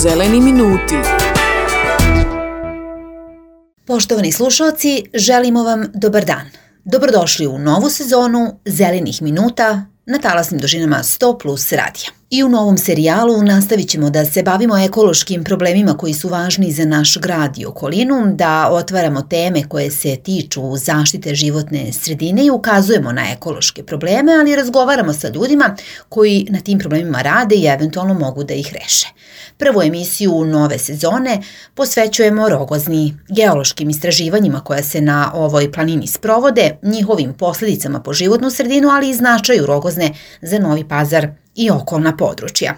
Zeleni minuti. Poštovani slušalci, želimo vam dobar dan. Dobrodošli u novu sezonu Zelenih minuta na talasnim dužinama 100 plus radija. I u novom serijalu nastavit ćemo da se bavimo ekološkim problemima koji su važni za naš grad i okolinu, da otvaramo teme koje se tiču zaštite životne sredine i ukazujemo na ekološke probleme, ali razgovaramo sa ljudima koji na tim problemima rade i eventualno mogu da ih reše. Prvu emisiju nove sezone posvećujemo Rogozni, geološkim istraživanjima koja se na ovoj planini sprovode, njihovim posljedicama po životnu sredinu, ali i značaju Rogozne za Novi Pazar i okolna područja.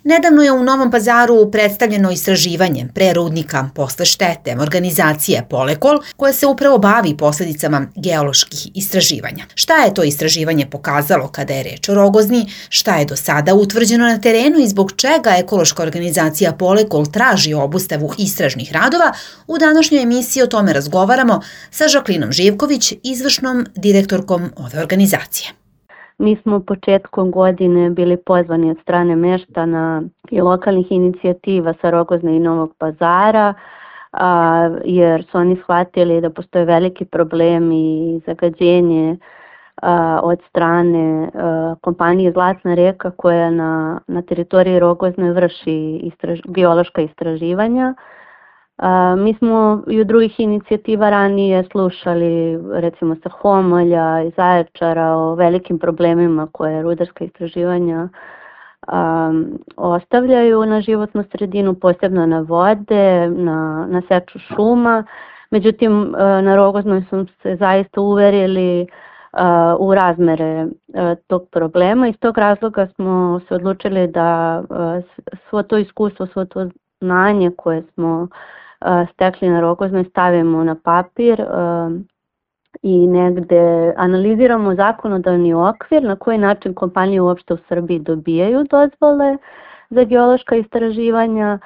Nedavno je u Novom Pazaru predstavljeno istraživanje pre rudnika posle štete organizacije Polekol, koja se upravo bavi posljedicama geoloških istraživanja. Šta je to istraživanje pokazalo kada je reč o Rogozni, šta je do sada utvrđeno na terenu i zbog čega ekološka organizacija Polekol traži obustavu istražnih radova, u današnjoj emisiji o tome razgovaramo sa Žaklinom Živković, izvršnom direktorkom ove organizacije. Mi smo početkom godine bili pozvani od strane meštana i lokalnih inicijativa sa Rogozne i Novog Pazara, jer su oni shvatili da postoje veliki problem i zagađenje od strane kompanije Zlatna reka koja na teritoriji Rogozne vrši geološka istraživanja. Mi smo i od drugih inicijativa ranije slušali, recimo sa Homolja i Zaječara, o velikim problemima koje rudarska istraživanja ostavljaju na životnu sredinu, posebno na vode, na seču šuma. Međutim, na Rogoznoj smo se zaista uverili u razmere tog problema. Iz tog razloga smo se odlučili da svo to iskustvo, svo to znanje koje smo stekli na Rogoznoj stavimo na papir i negde analiziramo zakonodavni okvir na koji način kompanije uopšte u Srbiji dobijaju dozvole za geološka istraživanja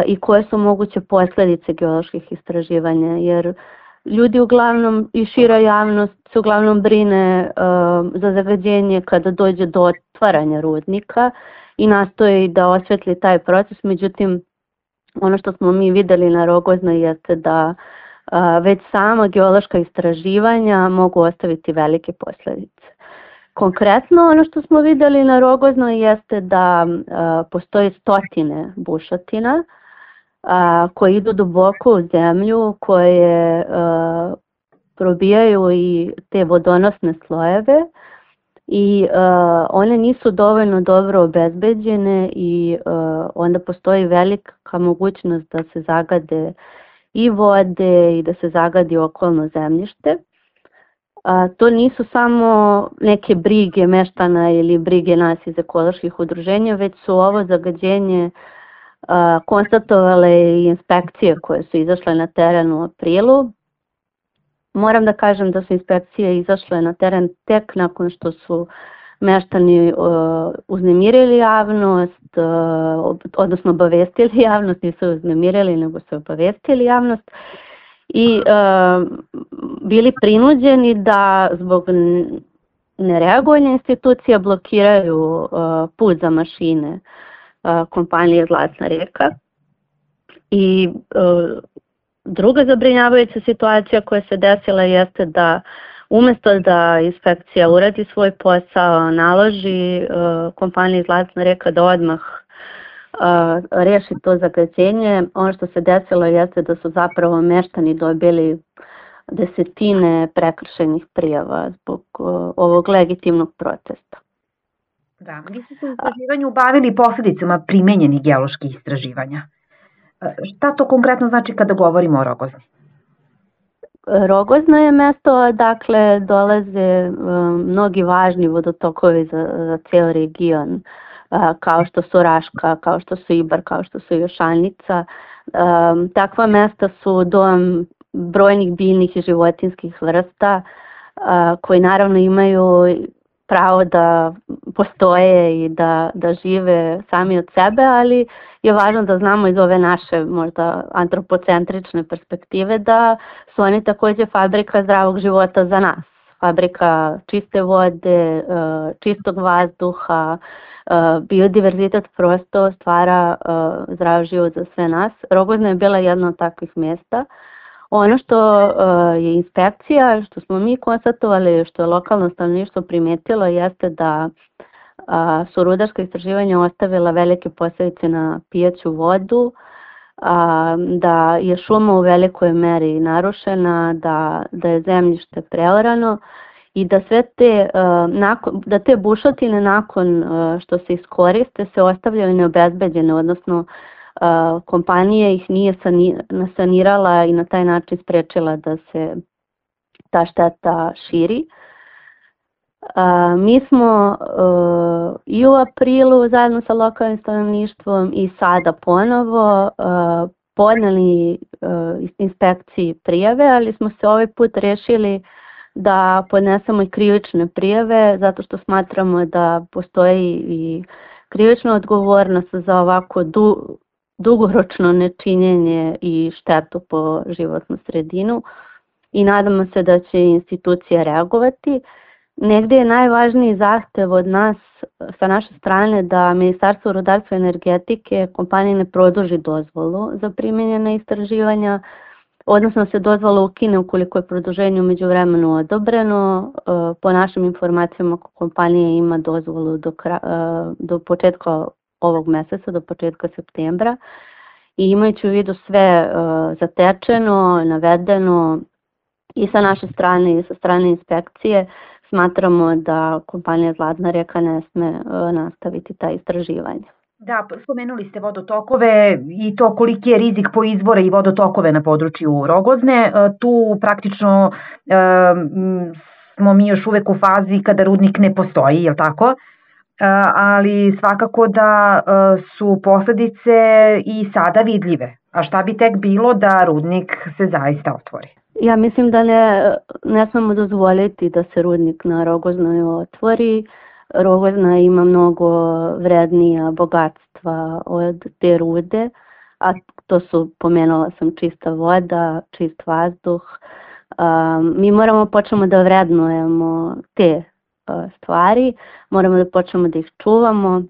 i koje su moguće posljedice geoloških istraživanja, jer ljudi uglavnom i šira javnost se uglavnom brine za zagađenje kada dođe do otvaranja rudnika i nastoji da osvetli taj proces. Međutim, ono što smo mi vidjeli na Rogoznoj jeste da već sama geološka istraživanja mogu ostaviti velike posljedice. Konkretno, ono što smo vidjeli na Rogoznoj jeste da postoje stotine bušotina koje idu duboko u zemlju, koje probijaju i te vodonosne slojeve i one nisu dovoljno dobro obezbeđene i onda postoji velika mogućnost da se zagade i vode i da se zagadi okolno zemljište. To nisu samo neke brige meštana ili brige nas iz ekoloških udruženja, već su ovo zagađenje konstatovale i inspekcije koje su izašle na teren u aprilu. Moram da kažem da su inspekcije izašle na teren tek nakon što su meštani uznemirili javnost, odnosno obavestili javnost, nisu uznemirili nego su obavestili javnost i bili prinuđeni da zbog nereagovanja institucija blokiraju put za mašine kompanije Zlatna reka. I druga zabrinjavajuća situacija koja se desila jeste da umjesto da inspekcija uradi svoj posao, naloži kompaniji Zlatna reka da odmah reši to zagađenje, ono što se desilo jeste da su zapravo meštani dobili desetine prekršajnih prijava zbog ovog legitimnog protesta. Da, vi ste se u istraživanju bavili posljedicama primenjenih geoloških istraživanja. Šta to konkretno znači kada govorimo o Rogozni? Rogozna je mesto odakle dolaze mnogi važni vodotokovi za cijel region, kao što su Raška, kao što su Ibar, kao što su Jošanica. Takva mesta su dom brojnih biljnih i životinskih vrsta koji naravno imaju pravo da postoje i da žive sami od sebe, ali je važno da znamo iz ove naše možda antropocentrične perspektive da su oni također fabrika zdravog života za nas. fabrika čiste vode, čistog vazduha, biodiverzitet prosto stvara zdrav život za sve nas. Rogozna je bila jedna od takvih mjesta. Ono što je inspekcija, što smo mi konstatovali, što je lokalno stanovništvo primetilo, jeste da su rudarska istraživanja ostavila velike posljedice na pijaću vodu, da je šuma u velikoj meri narušena, da je zemljište preorano i da sve da te bušotine nakon što se iskoriste se ostavljaju neobezbeđene, odnosno kompanija ih nije sanirala i na taj način sprečila da se ta šteta širi. Mi smo i u aprilu zajedno sa lokalnim stanovništvom i sada ponovo podneli inspekciji prijave, ali smo se ovaj put rešili da podnesemo i krivične prijave zato što smatramo da postoji i krivična odgovornost za ovako dugoročno nečinjenje i štetu po životnu sredinu i nadamo se da će institucija reagovati. Negdje je najvažniji zahtev od nas, sa naše strane, da Ministarstvo rudarstva i energetike kompaniji ne produži dozvolu za primjenjena istraživanja, odnosno se dozvola ukine ukoliko je produženje u međuvremenu odobreno. Po našim informacijama kompanija ima dozvolu do početka ovog mjeseca, do početka septembra. I imajući u vidu sve zatečeno, navedeno i sa naše strane i sa strane inspekcije, smatramo da kompanija Zlatna reka ne sme nastaviti ta istraživanja. Da, spomenuli ste vodotokove i to koliki je rizik po izvore i vodotokove na području Rogozne. Tu praktično smo mi još uvek u fazi kada rudnik ne postoji, je li tako? Ali svakako da su posledice i sada vidljive. A šta bi tek bilo da rudnik se zaista otvori? Ja mislim da ne smemo dozvoliti da se rudnik na Rogoznoj otvori. Rogozna ima mnogo vrednija bogatstva od te rude, a to su, pomenula sam, čista voda, čist vazduh. Mi moramo počnemo da vrednujemo te stvari, moramo da počnemo da ih čuvamo.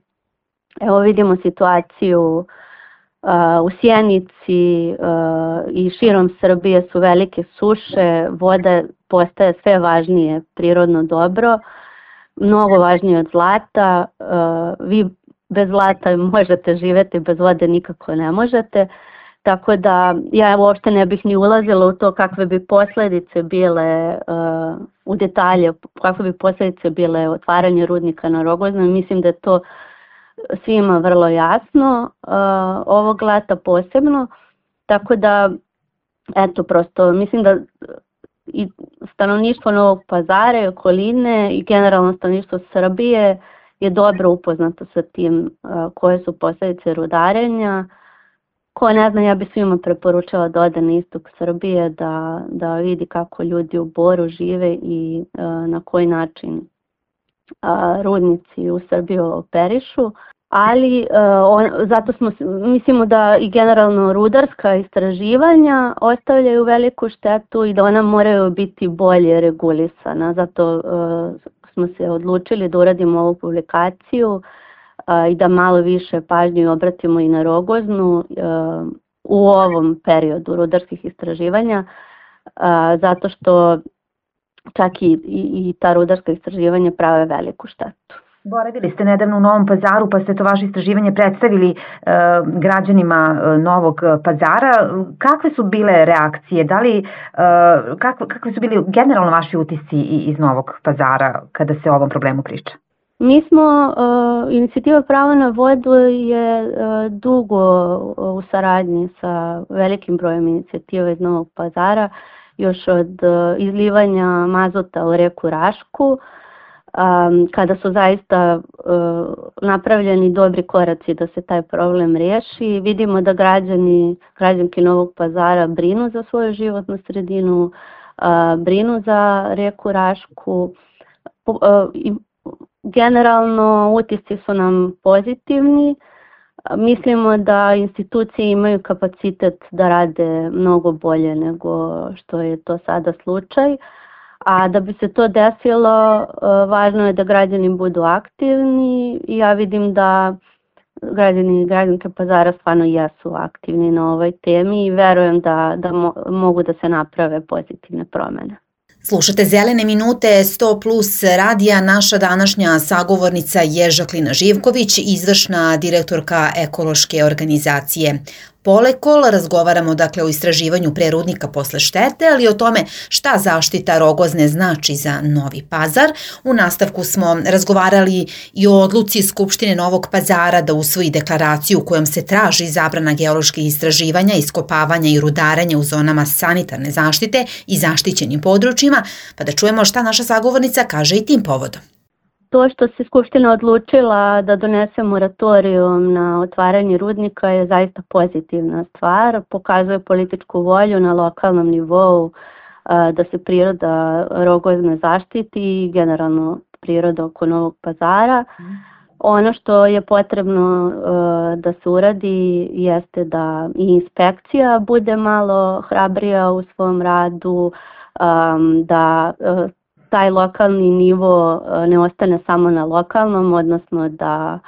Evo vidimo situaciju u Sjenici i širom Srbije su velike suše, voda postaje sve važnije prirodno dobro, mnogo važnije od zlata. Vi bez zlata možete živjeti, bez vode nikako ne možete. Tako da ja uopšte ne bih ni ulazila u to kakve bi posljedice bile u detalje, kakve bi posljedice bile otvaranje rudnika na Rogoznoj. Mislim da je to svima vrlo jasno, ovog leta posebno. Tako da, eto, prosto mislim da i stanovništvo Novog Pazara i okoline i generalno stanovništvo Srbije je dobro upoznato sa tim koje su posljedice rudarenja. Ko ne zna, ja bi svima preporučila da ode na istok Srbije, da vidi kako ljudi u Boru žive i na koji način rudnici u Srbiji operišu. Ali zato mislimo da i generalno rudarska istraživanja ostavljaju veliku štetu i da ona moraju biti bolje regulisana. Zato smo se odlučili da uradimo ovu publikaciju i da malo više pažnje obratimo i na Rogoznu u ovom periodu rudarskih istraživanja, zato što čak i ta rudarska istraživanja prave veliku štetu. Boravili ste nedavno u Novom Pazaru pa ste to vaše istraživanje predstavili građanima Novog Pazara. Kakve su bile reakcije? Kakve su bili generalno vaši utisci iz Novog Pazara kada se o ovom problemu priča? Mi smo, inicijativa Pravo na vodu je dugo u saradnji sa velikim brojem inicijativa iz Novog Pazara, još od izlivanja mazota u reku Rašku, kada su zaista napravljeni dobri koraci da se taj problem riješi. Vidimo da građanki Novog Pazara brinu za svoju životnu sredinu, brinu za reku Rašku. Generalno utisci su nam pozitivni. Mislimo da institucije imaju kapacitet da rade mnogo bolje nego što je to sada slučaj, A da bi se to desilo, važno je da građani budu aktivni i ja vidim da građani i građanke Pazara stvarno jesu aktivni na ovoj temi i verujem da mogu da se naprave pozitivne promene. Slušate Zelene minute 100 plus radija. Naša današnja sagovornica je Žaklina Živković, izvršna direktorka ekološke organizacije Polekol. Razgovaramo dakle o istraživanju pre rudnika posle štete, ali i o tome šta zaštita Rogozne znači za Novi Pazar. U nastavku smo razgovarali i o odluci Skupštine Novog Pazara da usvoji deklaraciju kojom se traži zabrana geoloških istraživanja, iskopavanja i rudarenja u zonama sanitarne zaštite i zaštićenim područjima, pa da čujemo šta naša sagovornica kaže i tim povodom. To što se Skupština odlučila da donese moratorijum na otvaranje rudnika je zaista pozitivna stvar. Pokazuje političku volju na lokalnom nivou da se priroda Rogozne zaštiti i generalno priroda oko Novog Pazara. Ono što je potrebno da se uradi jeste da i inspekcija bude malo hrabrija u svom radu, da taj lokalni nivo ne ostane samo na lokalnom, odnosno da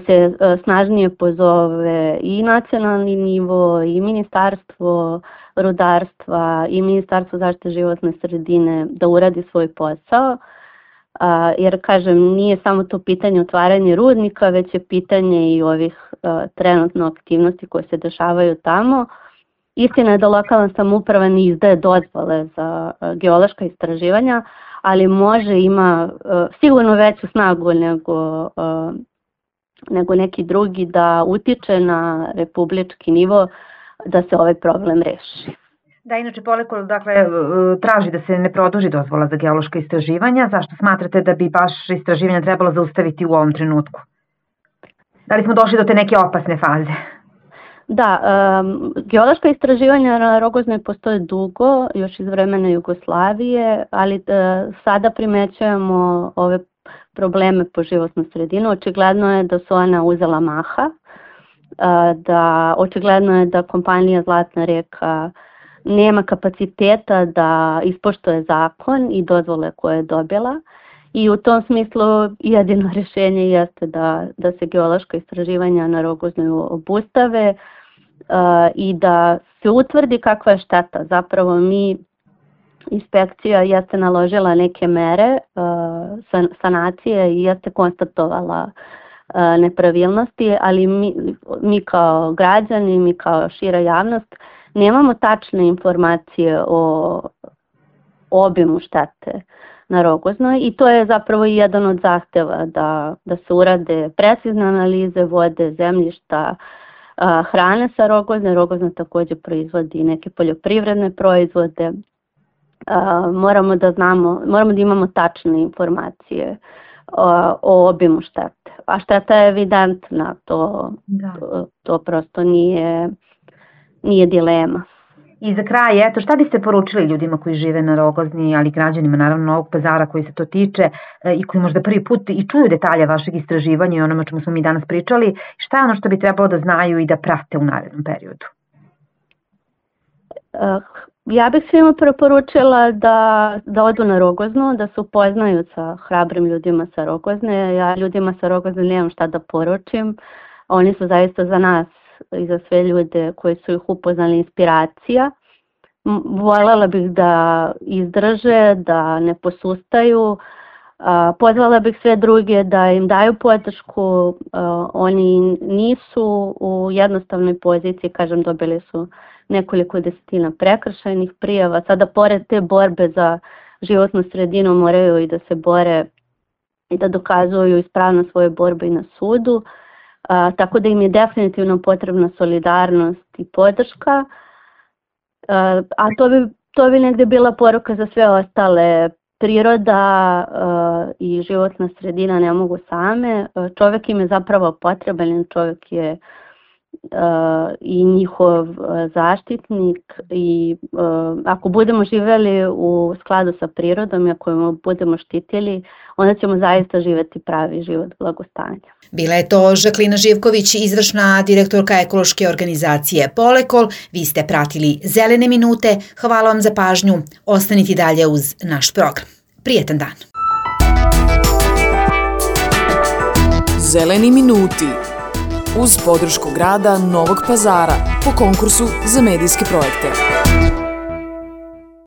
se snažnije pozove i nacionalni nivo, i Ministarstvo rudarstva, i Ministarstvo zaštite životne sredine da uradi svoj posao. Jer, kažem, nije samo to pitanje otvaranja rudnika, već je pitanje i ovih trenutno aktivnosti koje se dešavaju tamo. Istina je da lokalna samouprava ne izdaje dozvole za geološka istraživanja, ali ima sigurno veću snagu nego neki drugi da utiče na republički nivo da se ovaj problem reši. Da, inače Polekol traži da se ne produži dozvola za geološka istraživanja. Zašto smatrate da bi baš istraživanja trebalo zaustaviti u ovom trenutku? Da li smo došli do te neke opasne faze? Da, geološka istraživanja na Rogoznoj postoje dugo, još iz vremena Jugoslavije, ali sada primećujemo ove probleme po životnu sredinu. Očigledno je da su ona uzela maha, očigledno je da kompanija Zlatna reka nema kapaciteta da ispoštuje zakon i dozvole koje je dobila. I u tom smislu jedino rješenje jeste da se geološka istraživanja na Rogoznoj obustave i da se utvrdi kakva je šteta. Zapravo inspekcija jeste naložila neke mere sanacije i jeste konstatovala nepravilnosti, ali mi kao građani, mi kao šira javnost nemamo tačne informacije o obimu štete na Rogoznoj i to je zapravo jedan od zahteva da se urade precizne analize vode, zemljišta, hrane sa Rogozne. Rogozna također proizvodi neke poljoprivredne proizvode. Moramo da imamo tačne informacije o obimu štete. A šteta je evidentna, to prosto nije dilema. I za kraj, šta biste poručili ljudima koji žive na Rogozni, ali građanima naravno Novog Pazara koji se to tiče i koji možda prvi put i čuju detalje vašeg istraživanja i onome čemu smo mi danas pričali, šta je ono što bi trebalo da znaju i da prate u narednom periodu? Ja bih svima preporučila da odu na Rogoznu, da se upoznaju sa hrabrim ljudima sa Rogozne. Ja ljudima sa Rogozne nemam šta da poručim. Oni su zaista za nas i za sve ljude koji su ih upoznali inspiracija. Voljela bih da izdrže, da ne posustaju. Pozvala bih sve druge da im daju podršku. Oni nisu u jednostavnoj poziciji, kažem, dobili su nekoliko desetina prekršajnih prijava. Sada pored te borbe za životnu sredinu moraju i da se bore i da dokazuju ispravnost svoje borbe i na sudu. Tako da im je definitivno potrebna solidarnost i podrška. A to bi negdje bila poruka za sve ostale. Priroda i životna sredina ne mogu same. Čovjek im je zapravo potreban, čovjek je i njihov zaštitnik i ako budemo živjeli u skladu sa prirodom i ako je budemo štitili, onda ćemo zaista živjeti pravi život blagostanja. Bila je to Žaklina Živković, izvršna direktorka ekološke organizacije Polekol. Vi ste pratili Zelene minute. Hvala vam za pažnju. Ostanite dalje uz naš program. Prijetan dan. Zeleni minuti uz podršku grada Novog Pazara po konkursu za medijske projekte.